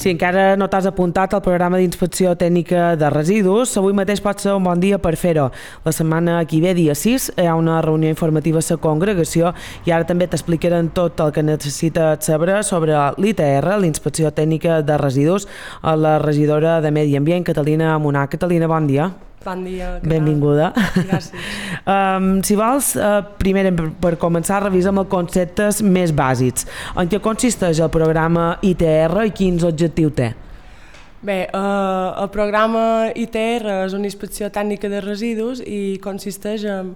Si encara no t'has apuntat al programa d'inspecció tècnica de residus, avui mateix pot ser un bon dia per fer-ho. La setmana que ve, dia 6, hi ha una reunió informativa a la congregació i ara també t'explicaran tot el que necessites saber sobre l'ITR, l'Inspecció Tècnica de Residus, a la regidora de Medi Ambient, Catalina Monà. Catalina, bon dia. Bon dia. Benvinguda. Gràcies. Si vols, primer per començar revisem els conceptes més bàsics. En què consisteix el programa ITR i quins objectius té? Bé, el programa ITR és una inspecció tècnica de residus i consisteix en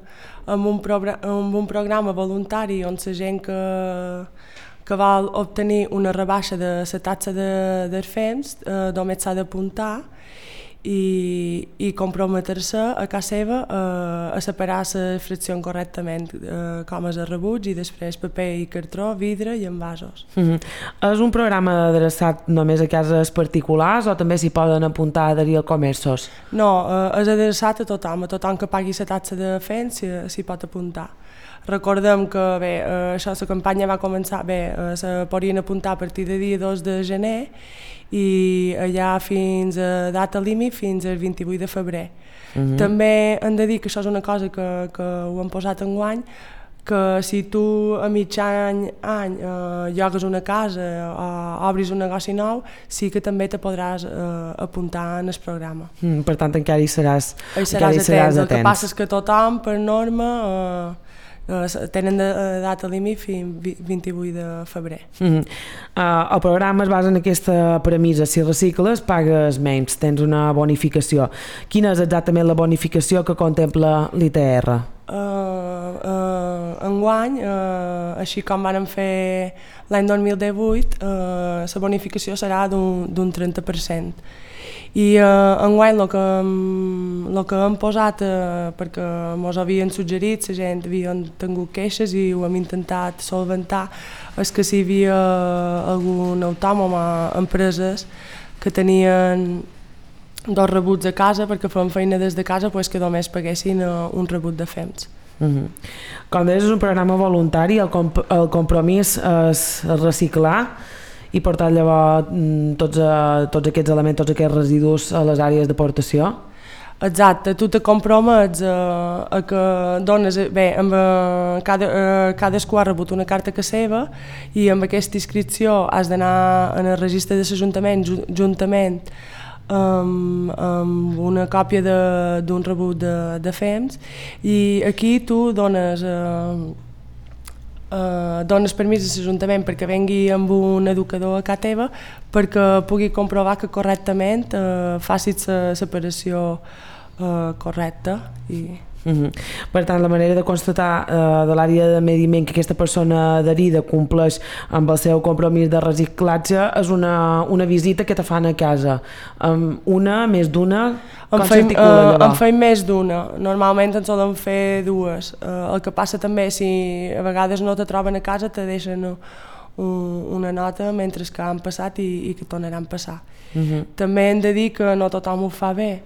un programa voluntari on la gent que vol obtenir una rebaixa de la taxa dels fems només s'ha d'apuntar i comprometre-se a casa seva a separar la fracció correctament, com és el rebuig i després paper i cartró, vidre i envasos. És un programa adreçat només a cases particulars o també s'hi poden apuntar a adherir a comerços? No, és adreçat a tothom que pagui la taxa de fems s'hi pot apuntar. Recordem que bé, la campanya va començar, se podien apuntar a partir del dia 2 de gener i allà fins a data límit, fins al 28 de febrer. També hem de dir que això és una cosa que ho hem posat enguany, que si tu a mig any llogues una casa o obris un negoci nou, sí que també te podràs apuntar en el programa. Per tant, encara hi seràs atents. El que passa és que tothom, per norma, tenen de data límit fins 28 de febrer. El programa es basa en aquesta premissa: si recicles, pagues menys, tens una bonificació. Quina és exactament la bonificació que contempla l'ITR? Enguany, així com vam fer l'any 2018, la bonificació serà d'un 30%. I enguany el que hem posat, perquè ens havien suggerit, la gent havien tingut queixes i ho hem intentat solventar, és que si hi havia algun autònom o empreses que tenien dos rebuts a casa perquè feien feina des de casa, que només paguessin un rebut de fems. Com deies, és un programa voluntari, el compromís és reciclar i portar llavors tots aquests elements, tots aquests residus a les àrees d'aportació? Exacte, tu te compromets a que dones... Bé, cadascú ha rebut una carta que seva i amb aquesta inscripció has d'anar en el registre de l'Ajuntament juntament amb una còpia d'un rebut de fems i aquí tu dones permís a l'Ajuntament perquè vengui amb un educador a casa teva perquè pugui comprovar que correctament facis la separació correcta. Per tant, la manera de constatar de l'àrea de Medi Ambient que aquesta persona adherida compleix amb el seu compromís de reciclatge és una visita que te fan a casa. Una, més d'una, com s'articula allò? En feim més d'una, normalment en solen fer dues. El que passa també, si a vegades no te troben a casa, te deixen una nota mentre que han passat i que tornaran a passar. També hem de dir que no tothom ho fa bé.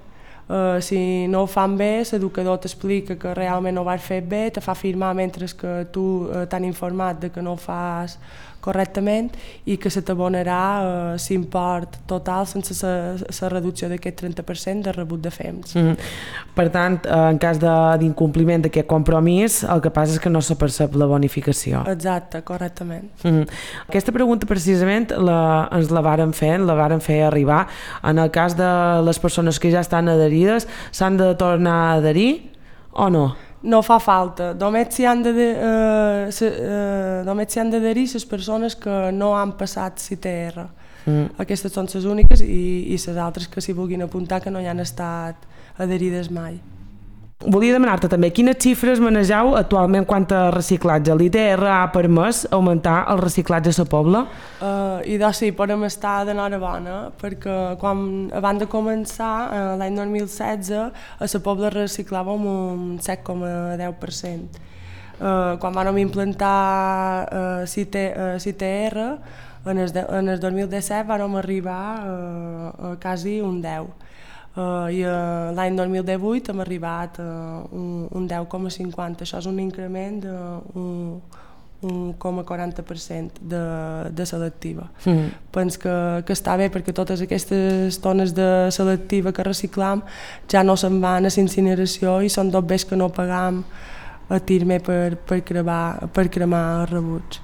Si no ho fan bé, l'educador t'explica que realment ho vas fer bé, te fa firmar mentre que tu t'han informat de que no ho fas correctament i que se t'abonarà l'import total sense la reducció d'aquest 30% de rebut de fems. Per tant, en cas d'incompliment d'aquest compromís, el que passa és que no se percep la bonificació. Exacte, correctament. Aquesta pregunta precisament ens la varen fer arribar. En el cas de les persones que ja estan adherides, s'han de tornar a adherir o no? No fa falta, només s'hi han d'adherir les persones que no han passat l'ITR. Aquestes són les úniques i les altres que s'hi vulguin apuntar que no hi han estat adherides mai. Volia demanar-te també quines xifres manegeu actualment quant a reciclatge. L'ITR ha permès augmentar el reciclatge a la Pobla? I doncs sí, podem estar d'enhorabona perquè abans de començar, l'any 2016, a la Pobla reciclàvem un 7,10%. Quan vam implantar l'ITR, en el 2017 vam arribar a quasi un 10%. I l'any 2018 hem arribat a un 10,50. Això és un increment d'un 1,40% de selectiva. Penso que està bé perquè totes aquestes tones de selectiva que reciclam ja no se'n van a l'incineració i són dos bés que no pagam a Tirme per cremar rebuts.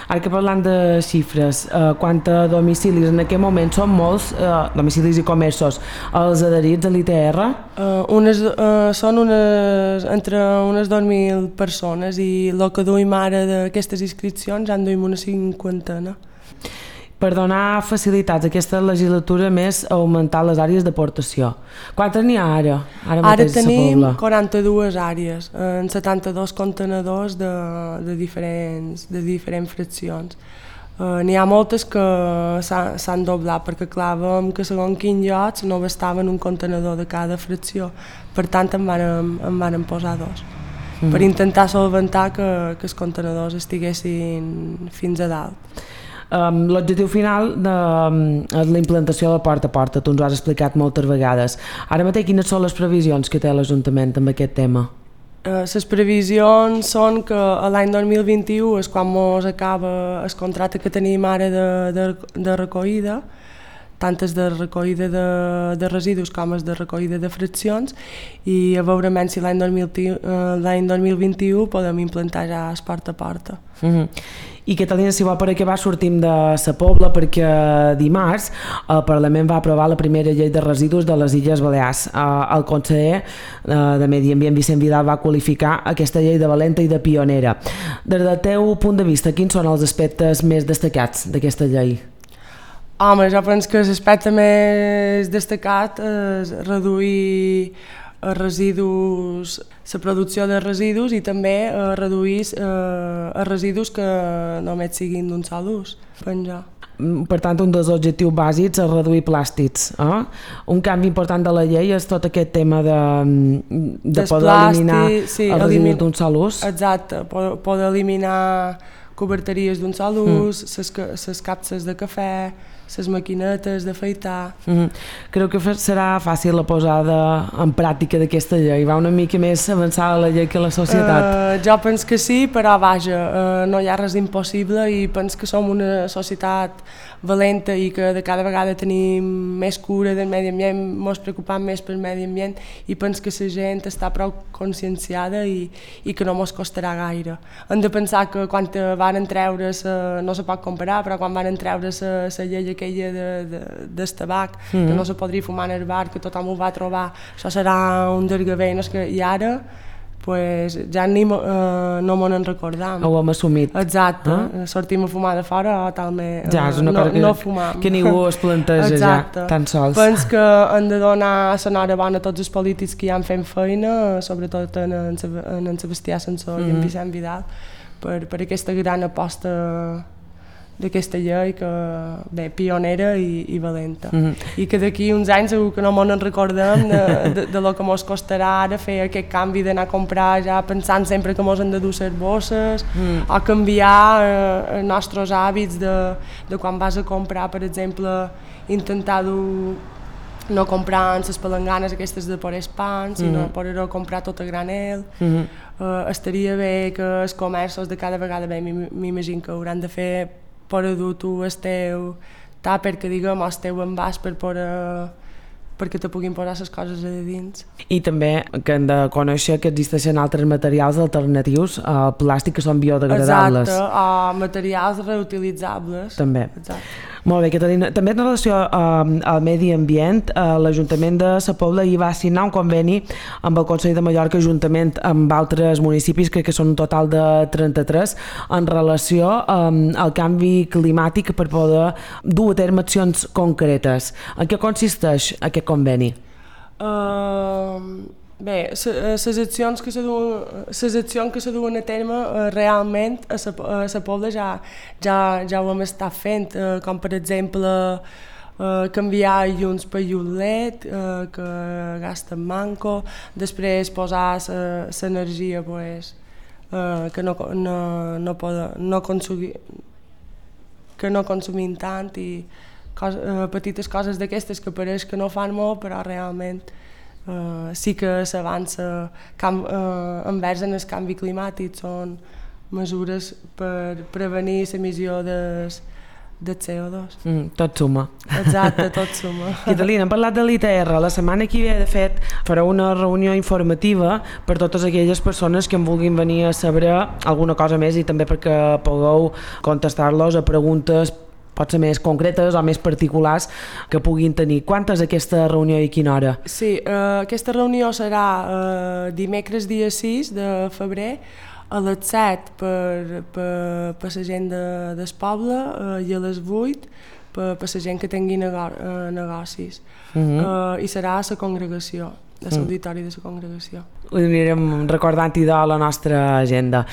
Ara que parlant de xifres, quant a domicilis, en aquest moment són molts domicilis i comerços els adherits a l'ITR? Són entre unes 2.000 persones i el que duim ara d'aquestes inscripcions ja en duim una 50. Per donar facilitats a aquesta legislatura més augmentar les àrees d'aportació. Quantes n'hi ha ara? Ara tenim 42 àrees, en 72 contenedors de diferents fraccions. N'hi ha moltes que s'han doblat perquè clar, veiem que segons quins llocs no bastaven un contenedor de cada fracció, per tant en varen posar 2 per intentar solventar que els contenedors estiguessin fins a dalt. L'objectiu final és la implantació de porta a porta, tu ens ho has explicat moltes vegades. Ara mateix quines són les previsions que té l'Ajuntament amb aquest tema? Les previsions són que l'any 2021 és quan ens acaba el contracte que tenim ara de recollida, tant és de recollida de residus com és de recollida de fraccions, i a veure si l'any 2021 podem implantar ja el porta a porta. I Catalina, si vol, per acabar sortim de Sa Pobla perquè dimarts el Parlament va aprovar la primera llei de residus de les Illes Balears. El conseller de Medi Ambient, Vicent Vidal, va qualificar aquesta llei de valenta i de pionera. Des del teu punt de vista, quins són els aspectes més destacats d'aquesta llei? Home, jo penso que l'aspecte més destacat és reduir residus, la producció de residus i també reduir els residus que només siguin d'un sol ús, penjo. Per tant, un dels objectius bàsics és reduir plàstics. Un canvi important de la llei és tot aquest tema de poder eliminar els residus d'un sol ús. Exacte, poder eliminar coberteries d'un sol ús, les capses de cafè, les maquinetes d'afaitar. Creu que serà fàcil la posada en pràctica d'aquesta llei? Va una mica més avançada la llei que la societat? Jo penso que sí, però vaja, no hi ha res impossible i penso que som una societat valenta i que de cada vegada tenim més cura del medi ambient, ens preocupem més pel medi ambient i penso que la gent està prou conscienciada i que no ens costarà gaire. Hem de pensar que quan van treure, no se pot comparar, però quan van treure la llei aquella del tabac, que no se podria fumar en el bar, que tothom ho va trobar, això serà un desgavell, i ara pues, ja no me n'en recordam. Ho hem assumit. Exacte, sortim a fumar de fora o talment ja, és una cosa no fumam. Que ningú es planteja ja, tan sols. Penso que han de donar l'enhorabona a tots els polítics que hi han fent feina, sobretot en Sebastià Sansó i en Vicent Vidal, per aquesta gran aposta d'aquesta llei que, bé, pionera i valenta. I que d'aquí uns anys segur que no ens recordem de lo que ens costarà ara fer aquest canvi d'anar a comprar ja pensant sempre que ens hem de dur les bosses o canviar els nostres hàbits de quan vas a comprar, per exemple, intentar no comprar les palanganes aquestes de pores pans, sinó poder comprar tot a granel. Estaria bé que els comerços de cada vegada, bé, m'imagino que hauran de fer per dur tu el teu tàper, que diguem, el teu envàs perquè te puguin posar les coses a dins. I també que hem de conèixer que existeixen altres materials alternatius al plàstic que són biodegradables. Exacte, o materials reutilitzables. També. Exacte. Molt bé, Catalina. També en relació al medi ambient, l'Ajuntament de Sa Pobla hi va signar un conveni amb el Consell de Mallorca, juntament amb altres municipis, crec que són un total de 33, en relació al canvi climàtic per poder dur a terme accions concretes. En què consisteix aquest conveni? Bé, les accions que se duen a terme realment a Sa Pobla ja ho hem estat fent, com per exemple canviar llums per llum LED que gasten manco, després posar l'energia que no consumim tant i petites coses d'aquestes que pareix que no fan molt però realment sí que s'avança envers el canvi climàtic, són mesures per prevenir l'emissió de CO2. Tot suma. Exacte, tot suma. Catalina, hem parlat de l'ITR. La setmana que ve, de fet, farà una reunió informativa per totes aquelles persones que en vulguin venir a saber alguna cosa més i també perquè pugueu contestar-los a preguntes potser més concretes o més particulars que puguin tenir. Quantes aquesta reunió i a quina hora? Sí, aquesta reunió serà dimecres dia 6 de febrer a les 7 per la gent del poble i a les 8 per la gent que tingui negocis. I serà a la congregació, a l'auditori de la congregació. Ho anirem recordant-hi de la nostra agenda.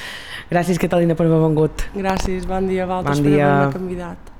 Gràcies, Catalina, per haver vengut. Gràcies, bon dia a vosaltres per haver-me convidat.